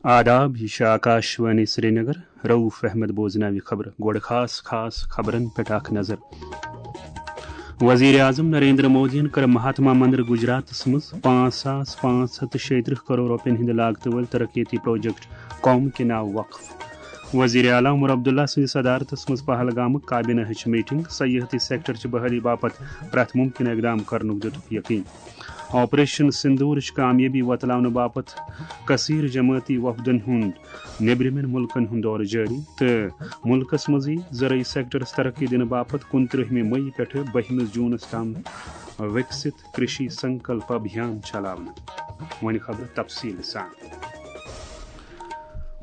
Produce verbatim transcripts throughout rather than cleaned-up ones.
آداب، یہِ چھِ آکاشوانی سرینگر۔ رؤف احمد بوزناوِ خبرٕ۔ گۄڈٕ خاص خاص خبرن پٮ۪ٹھ اکھ نظر۔ وزیر اعظم نریندر مودیَن کٔر مہاتما مندر گجراتس منٛز پانٛژھ ساس پانٛژھ ہتھ تہٕ شیٚیہِ ترٕٛہ کرور رۄپین ہٕنٛدِ لاگتہٕ وٲلۍ ترقیتی پروجیکٹ قوم کے ناو وقف۔ وزیر اعلیٰ عمر عبداللہ سٕنٛدِس صدارتس منٛز پہلگامُک کابینہ ہٕچ میٹنگ، سیاحتی سیکٹر چہِ بحالی باپتھ پرٛٮ۪تھ ممکنہٕ اقدام کرنُک دِتُکھ یقین۔ آپریشن سندورٕچ کامیٲبی وۄتلاونہٕ باپتھ کثیر جمٲعتی وفدن ہُنٛد نیبرِمٮ۪ن مُلکن ہُنٛد دورٕ جٲری تہٕ مُلکس منٛزٕے زرعی سیکٹرس ترقی دِنہٕ باپتھ کُنترٕہمہِ مئی پٮ۪ٹھٕ بٔہمِس جوٗنس تام وِکسِت کرشی سنکلپ ابھیان چلاونہٕ۔ وۄنۍ خبرٕ تفصیٖل سان۔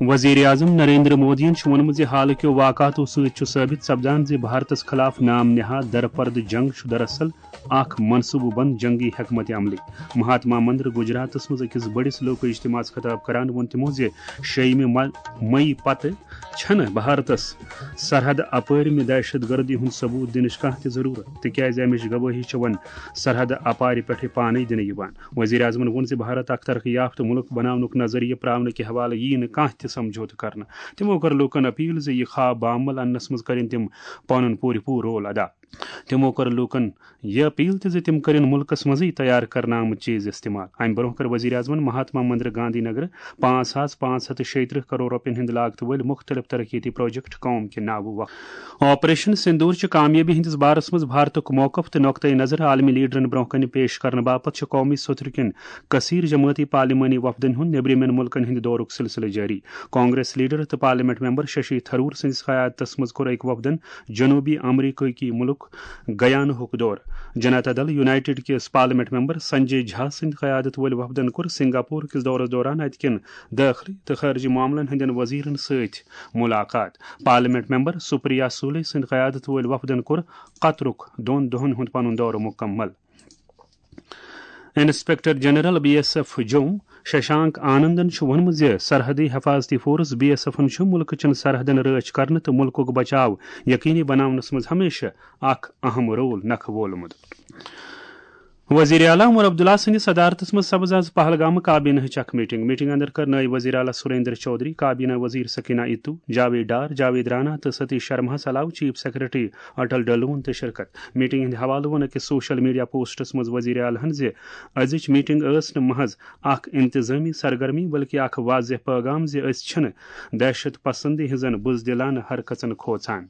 وزیر اعظم نریندر مودیَن چھُ ووٚنمُت زِ حالٕکیو واقعاتو سۭتۍ چھُ ثٲبت سپدان زِ بھارتس خلاف نام نہاد درپردٕ جنگ چھُ دراصل اکھ منصوبہٕ بند جنگی حکمت عملی۔ مہاتما مندر گجراتس منٛز أکِس بٔڑِس لوک اجتماعس خطاب کران ووٚن تِمو زِ شیٚیِمہِ مئی پتہٕ چھنہٕ بھارتس سرحد اپٲرمہِ دہشت گردی ہُنٛد ثبوت دِنٕچ کانٛہہ تہِ ضروٗرت، تِکیازِ امِچ گوٲہی چھِ وۄنۍ سرحد اپارِ پٮ۪ٹھٕے پانے دِنہٕ یِوان۔ وزیر اعظمن ووٚن زِ بھارت اکھ ترقی یافتہٕ مُلک بناونُک نظریہ پراونہٕ کہِ حوالہٕ ییہِ نہٕ کانٛہہ تہِ سمجھوتہٕ کرنہٕ۔ تِمو کٔر لوٗکن اپیل زِ یہِ خواب باعمل اننس منٛز کٔرِن تِم پنُن پوٗرٕ پوٗرٕ رول ادا۔ تِمو کٔر لوٗکن یہِ اپیل تہِ زِ تِم کٔرِن مُلکس منٛزٕے تیار کرنہٕ آمٕتۍ چیز استعمال۔ امہِ برونٛہہ کٔر وزیر اعظمن مہاتما مندر گاندھی نگر پانٛژھ ساس پانٛژھ ہتھ تہٕ شیٚیہِ ترٕٛہ کرور رۄپین ہٕنٛدِ لاگتہٕ وٲلۍ مختلف ترقیتی پروجیکٹ قوم کہِ ناوٕ وقف۔ آپریشن سندور چہِ کامیٲبی ہٕنٛدِس بارس منٛز بھارتُک موقف تہٕ نقطہٕ نظر عالمی لیڈرن برونٛہہ کنہِ پیش کرنہٕ باپتھ چھُ قومی سوٚتھرٕ کٮ۪ن کثیر جمٲعتی پارلیمانی وفدن ہُنٛد نیبرِمٮ۪ن مُلکن ہٕنٛدِ دورُک سلسلہٕ جٲری۔ کانگریس لیڈر تہٕ پارلیمنٹ ممبر ششی تھرور سٕنٛدِس قیادتس منٛز کوٚر أکۍ وفدن جنوبی امریکہ کہِ مُلک گیانہُک دورٕ۔ جنتا دل یونائیٹڈ کِس پارلیمنٹ ممبر سنجے جھا سٕنٛدِ قیادت وٲلۍ وفدن کوٚر سنگاپور کِس دورس دوران اتہِ کٮ۪ن دٲخلی تہٕ خارجی معاملن ہٕنٛدٮ۪ن وزیرن سۭتۍ ملاقات۔ پارلیمنٹ ممبر سپریا سولے سٕنٛدِ قیادت وٲلۍ وفدن کوٚر قطرُک دۄن دۄہن ہُنٛد پنُن دورٕ مکمل۔ Inspector general B S F جوم ششانک آنندن چھُ ووٚنمُت زِ سرحدی حفاظتی فورس بی ایس ایفن چھُ مُلکہٕ چٮ۪ن سرحدن رٲچھ کرنہٕ تہٕ مُلکُک بچاو یقینی بناونس منٛز ہمیشہٕ اکھ اہم رول نکھٕ وولمُت۔ وزیر اعلیٰ عمر عبداللہ سٕنٛدِس صدارتس منٛز سپٕز آز پہلگامہٕ کابینہٕچ اکھ میٹنگ۔ میٹنگ اندر کٔر نٲیِب وزیر اعلیٰ سریندر چودھری، کابینہ وزیر سکینہ اتو، جاوید ڈار، جاوید رانا تہٕ ستیش شرماہس علاوٕ چیف سیکرٹری اٹل ڈلون تہِ شرکت۔ میٹنگ ہٕنٛدِ حوالہٕ ووٚن أکِس سوشل میڈیا پوسٹس منٛز وزیر اعلیٰ ہن زِ أزِچ میٹنگ ٲس نہٕ محض اکھ انتظامی سرگرمی بلکہ اکھ واضح پیغام زِ أسۍ چھِنہٕ دہشت پسندی ہٕنٛزن بزدلانہٕ حرکژن کھوژان۔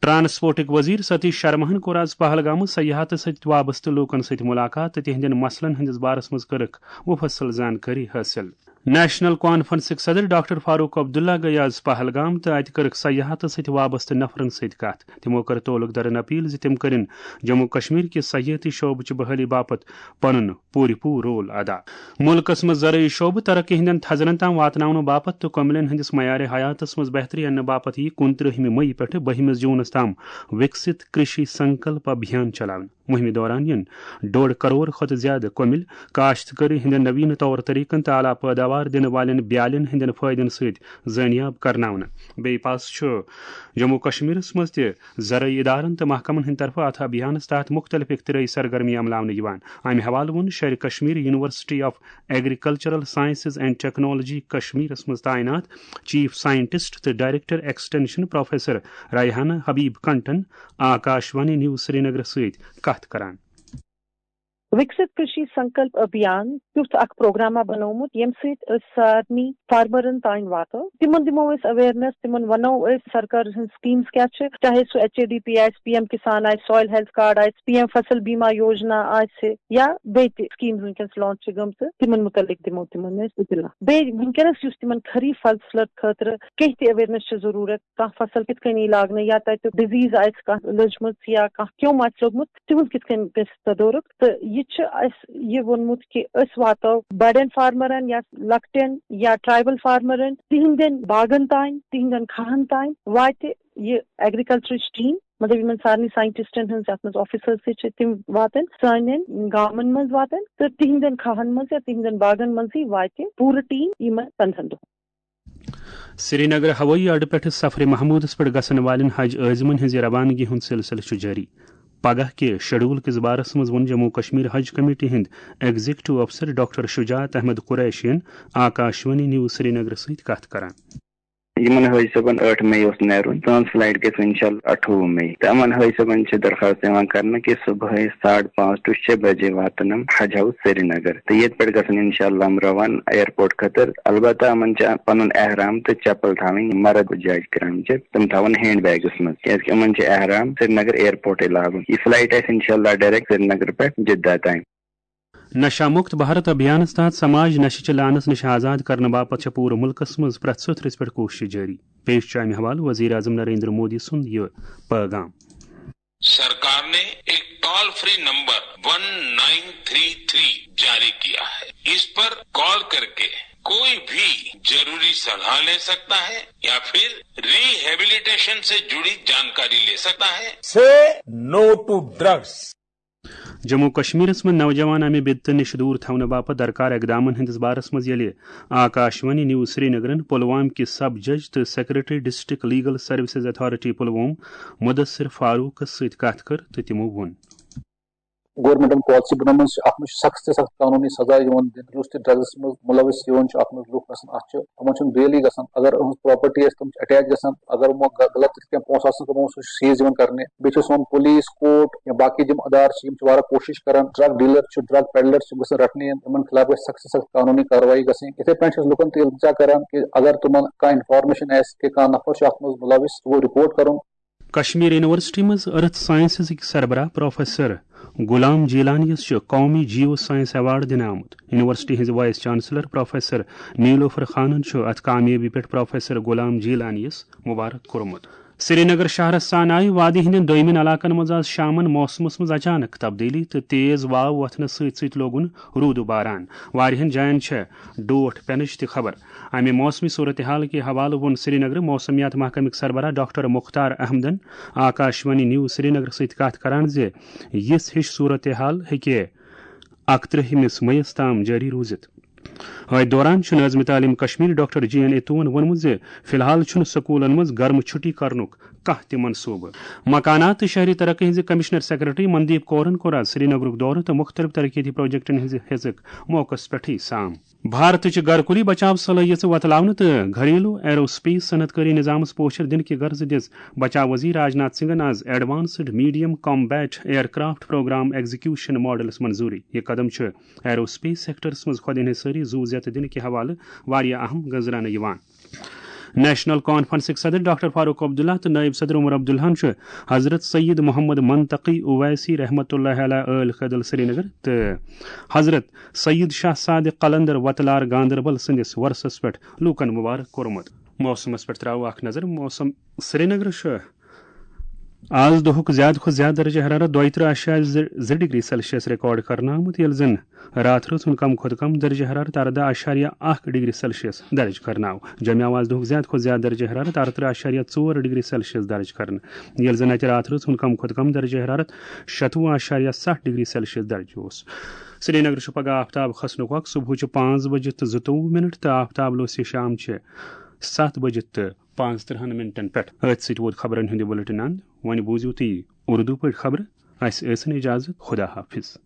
ٹرانسپورٹٕکۍ وزیر ستیش شرماہن کوٚر آز پہلگامہٕ سیاحتس سۭتۍ وابستہٕ لوٗکن سۭتۍ ملاقات تہٕ تِہنٛدٮ۪ن مسلن ہٕنٛدِس بارس منٛز کٔرٕکھ مفصل زانکٲری حٲصِل۔ نیشنل کانفرنسٕکۍ صدر ڈاکٹر فاروق عبداللہ گٔیہِ آز پہلگام تہٕ اتہِ کٔرٕکھ سیاحتس سۭتۍ وابستہٕ نفرن سۭتۍ کتھ۔ تِمو کٔر تعلق دارن اپیل زِ تِم کٔرِن جموں کشمیر کہِ سیاحتی شعبہٕ چہِ بحالی باپتھ پنُن پوٗرٕ پوٗرٕ رول ادا۔ مُلکس منٛز زرعی شعبہٕ ترقی ہٕنٛدٮ۪ن تھزرن تام واتناونہٕ باپتھ تہٕ کۄمِلٮ۪ن ہٕنٛدِس معیارِ حیاتس منٛز بہتری اننہٕ باپتھ یِیہِ کُنترٕہمہِ مئی پٮ۪ٹھٕ بٔہمِس جوٗنس تام وِکسِت کرشی سنکلپ ابھیان چلاونہٕ۔ مُہِمہِ دوران یِن ڈوڈ کرور کھۄتہٕ زیادٕ کۄمِلۍ کاشتکٲری ہٕنٛدٮ۪ن نویٖن طور طریقن تہٕ اعلیٰ پٲداوار دِنہٕ والٮ۪ن بیالٮ۪ن ہٕنٛدٮ۪ن فٲیدن سۭتۍ زٲنیاب کرناونہٕ۔ بیٚیہِ پاس چھُ جموں کشمیرس منٛز تہِ زرعی ادارن تہٕ محکمن ہٕنٛدِ طرفہٕ اتھ ابھیانس تحت مختلف اختراعی سرگرمی عملاونہٕ یِوان۔ امہِ حوالہٕ ووٚن Sher-e Kashmir university of agricultural sciences and technology کشمیرس منٛز تعینات چیف سائنٹسٹ تہٕ director extension professor Rehana Habib کنٹن آکاشوانی نیوز سرینگرس سۭتۍ کتھ کران۔ وِکسِت کرشی سنکلپ ابھیان کیُتھ اکھ پروگراما بنوومُت، ییٚمہِ سۭتۍ أسۍ سارنٕے فارمرن تام واتو۔ تِمن دِمو أسۍ اویرنیس، تِمن ونو أسۍ سرکار ہٕنٛز سکیٖمز کیٛاہ چھِ، چاہے سُہ ایچ اے ڈی پی آسہِ، پی ایم کسان آسہِ، سویل ہیلتھ کارڈ آسہِ، پی ایم فصل بیما یوجنا آسہِ، یا بیٚیہِ تہِ سکیٖمز وٕنکیٚنس لانچ چھِ گٔمژٕ، تِمن مُتعلق دِمو تِمن أسۍ اطلاع۔ بیٚیہِ وٕنکیٚنس یُس تِمن خریف فصلہٕ خٲطرٕ کینٛہہ تہِ اویرنیس چھِ ضروٗرت، کانٛہہ فصل کِتھ کٔنۍ یی لاگنہٕ، یا تَتہِ ڈِزیٖز آسہِ کانٛہہ لٔجمٕژ یا کانٛہہ کیوٚم آسہِ لوٚگمُت، تِہُنٛد کِتھ کٔنۍ گژھِ تدورُک۔ تہٕ یہِ چھُ اَسہِ یہِ ووٚنمُت کہِ أسۍ واتو بڑٮ۪ن فارمرن یا لۄکٹٮ۪ن یا ٹرائبل فارمرن، تِہنٛدٮ۪ن باغن تام، تِہنٛدٮ۪ن کھاہن تام واتہِ یہِ ایگریکلچرٕچ ٹیٖم، مطلب یِمن سارنٕے سائنٹسٹن ہٕنٛز یَتھ منٛز آفیسرز تہِ چھِ، تِم واتن سانٮ۪ن گامن منٛز واتن تہٕ تِہنٛدٮ۪ن کھاہن منٛز یا تِہنٛدٮ۪ن باغن منٛزٕے واتہِ پوٗرٕ ٹیٖم یِمن پنٛدہن دۄہن۔ سرینگر ہوٲیی اڈٕ پٮ۪ٹھٕ سفرِ محمودس پٮ۪ٹھ گژھن والٮ۪ن حج عٲزمن ہٕنٛزِ روانگی ہُنٛد سلسلہٕ چھُ جٲری۔ پگاہ کہِ شیڈول کِس بارس منٛز ووٚن جموں کشمیر حج کمیٹی ہٕنٛدۍ ایگزیکٹو افسر ڈاکٹر شجاعت احمد قریشین آکاشوانی نیوز سرینگر سۭتۍ کتھ کران۔ یِمن حٲجۍ صٲبن ٲٹھ مئی اوس نیرُن، تہنٛز فلایٹ گژھِ انشاءاللہ اَٹھووُہ مئی۔ تہٕ یِمن حٲجۍ صٲبن چھِ درخواست یِوان کرنہٕ کہِ صبحٲے ساڑٕ پانٛژھ to شےٚ بجے واتن یِم حج ہاوُس سرینگر۔ تہٕ ییٚتہِ پٮ۪ٹھ گژھن انشاءاللہ یِم روانہٕ ایئرپورٹ خٲطرٕ۔ البتہ یِمن چھِ پنُن احرام تہٕ چپل تھاوٕنۍ مرد جاج کرام چھِ، تِم تھاوَن ہینڈ بیگس منٛز، کیازِ کہِ یِمن چھِ احرام سرینگر ایئرپورٹے لاگُن۔ یہِ فلایٹ آسہِ انشاءاللہ ڈائریکٹ سرینگر پٮ۪ٹھ جدہ تام۔ نشہ مکت بھارت ابھیانس تحت سماج نشہ چہ لعنس نش آزاد کرنہٕ باپتھ چھےٚ پوٗرٕ ملکس منٛز پرٛٮ۪تھ سطرس پٮ۪ٹھ کوٗشش جٲری۔ پیش چھُ امہِ حوالہٕ وزیر اعظم نریندر مودی سُنٛد یہِ پیغام۔ सरकार ने एक toll free number one nine three three जारी किया है। इस पर कॉल करके कोई भी जरूरी सलाह ले सकता है या फिर रिहेबिलिटेशन से जुड़ी जानकारी ले सकता है। Say no to drugs. Jammu کشمیرس منٛز نوجوان امہِ بدتہٕ نِش دوٗر تھاونہٕ باپتھ درکار اقدامن ہٕنٛدِس بارس منٛز ییٚلہِ آکاشوانی نیوز سرینگرن پلوام کہِ سب جج تہٕ secretary district legal services authority Pulwama Mudasir فاروقس سۭتۍ کتھ کٔر تہٕ تِمو ووٚن۔ گورنمنٹن پالیسی بنٲومٕژ چھِ، اتھ منٛز چھِ سخت سے سخت قانونی سزا یِوان دِنہٕ۔ یُس تہِ ڈرگس منٛز ملوث یِوان چھُ، اتھ منٛز لُکھ گژھن، اتھ چھِ، یِمن چھُنہٕ بیلٕے گژھان۔ اگر أہٕنٛز پراپرٹی آسہِ، تِم چھِ اٹیک گژھان۔ اگر یِمو غ-، غلط کینٛہہ پونٛسہٕ آسن کمومُت، سُہ چھُ سیز یِوان کرنہٕ۔ بیٚیہِ چھُ سون پولیس، کورٹ یا باقی یِم ادارٕ چھِ، یِم چھِ واریاہ کوٗشش کران۔ ڈرگ ڈیلر چھِ، ڈرگ پیڈلر چھِ، یِم گژھن رٹنہٕ یِنۍ، یِمن خلاف گژھِ سخت سے سخت قانونی کاروٲیی گژھٕنۍ۔ یِتھے پٲٹھۍ چھِ أسۍ لُکن تہِ التجا کران کہِ اگر تِمن کانٛہہ انفارمیشن آسہِ کہِ کانٛہہ نفر چھُ اتھ منٛز ملوث، سُہ گوٚو رپورٹ کرُن۔ کشمیر یونیورسٹی منٛز ارتھ سائنسزٕکۍ سربراہ پروفیسر غلام جیلانیَس چھُ قومی جیو سائنس ایوارڈ دِنہٕ آمُت۔ یونیورسٹی ہٕنٛزِ وائس چانسلر پروفیسر نیلوفر خانن چھُ اتھ کامیٲبی پٮ۪ٹھ پروفیسر غلام جیلانیَس مبارک کوٚرمُت۔ سرینگر شہرس سان آیہِ وادی ہٕنٛدٮ۪ن دوٚیمٮ۪ن علاقن منٛز آز شامن موسمس منٛز اچانک تبدیلی تہٕ تیز واو وۄتھنس سۭتۍ سۭتۍ لوگُن روٗدٕ باران۔ واریاہن جاین چھےٚ ڈوٹھ پینٕچ تہِ خبر۔ امہِ موسمی صورتحال کہِ حوالہٕ ووٚن سرینگر موسمیات محکمٕکۍ سربراہ ڈاکٹر مختار احمدن آکاشوانی نیوز سرینگر سۭتۍ کتھ کران زِ یِژھ ہِش صورتحال ہیٚکہِ اکترٕہمِس مئیس تام جٲری روٗزِتھ۔ أتھۍ دوران چھُ نٲظمِ تعلیٖم کشمیر ڈاکٹر جی این ایتوَن ووٚنمُت زِ فی الحال چھُنہٕ سکوٗلن منٛز گرمہٕ چھُٹی کرنُک کانٛہہ تہِ منصوٗبہٕ۔ مکانات تہٕ شہری ترقی ہٕنٛزِ کمشنر سیکرٹری مندیپ کورن کوٚر آز سرینگرُک دورٕ تہٕ مُختٔلِف ترقیتی پروجیکٹن ہٕنٛزِ ہیژٕک موقعس پٮ۪ٹھٕے سام۔ بھارتٕچ گرکُلی بچاو صلٲحیژٕ وۄتلاونہٕ تہٕ گھریلو ایروسپیس صنعت کٲری نظامس پوچھر دِنہٕ کہِ غرضہٕ دِژ بچاو وزیر راجناتھ سنگھن آز advanced medium combat aircraft programme execution ماڈلس منظوٗری۔ یہِ قدم چھُ ایروسپیس سیکٹرس منٛز خود انحصٲری زُو ذیتہٕ دِنہٕ کہِ حوالہٕ واریاہ اہم گنزراونہٕ یِوان۔ نیشنل کانفرنسٕکۍ صدر ڈاکٹر فاروق عبداللہ تہٕ نائب صدر عمر عبداللہن چھُ حضرت سید محمد منطقی اویسی رحمۃ اللہ علیہ ٲلۍ خٲدل سرینگر تہٕ حضرت سید شاہ صادق قلندر وتلار گاندربل سٕنٛدِس وۄرثس پٮ۪ٹھ لوٗکن مبارک کوٚرمُت۔ موسمس پٮ۪ٹھ ترٛاوو اکھ نظر۔ موسم سرینگر چھُ آز دۄہُک زیادٕ کھۄتہٕ زیادٕ درجہ حرارت دۄیہِ ترٕٛہ اعشاریہ زٕ ڈگری سیلسیس ریکارڈ کرنہٕ آمُت، ییٚلہِ زن راتھ رٲژ ہُنٛد کم کھۄتہٕ کم درجہ حرارت ارداہ اعشاریہ اکھ ڈگری سیلسیس درج کرنہٕ آو۔ جوٚمہِ آو آز دۄہُک زیادٕ کھۄتہٕ زیادٕ درجہ حرارت ارترٕٛہ اعشاریہ ژور ڈگری سیلسیس درج کرنہٕ، ییٚلہِ زن اتہِ راتھ رٲژ ہُنٛد کم کھۄتہٕ کم درجہ حرارت شتوُہ اعشاریہ ستھ ڈگری سیلسیس درج اوس۔ سرینگر چھُ پگہہ آفتاب کھسنُک وقت صبحٕچہِ پانٛژھ بجہِ تہٕ زٕتووُہ منٹ تہٕ آفتاب لوسہِ شامچہِ ستھ بجہِ تہٕ پانٛژترٕٛہن منٹن پٮ۪ٹھ۔ أتھۍ سۭتۍ ووت خبرن ہُنٛد یہِ بلیٹن اند۔ وۄنۍ بوٗزِو تُہۍ اردو پٲٹھۍ خبرٕ۔ اسہِ ٲسِن اجازت۔ خدا حافظ۔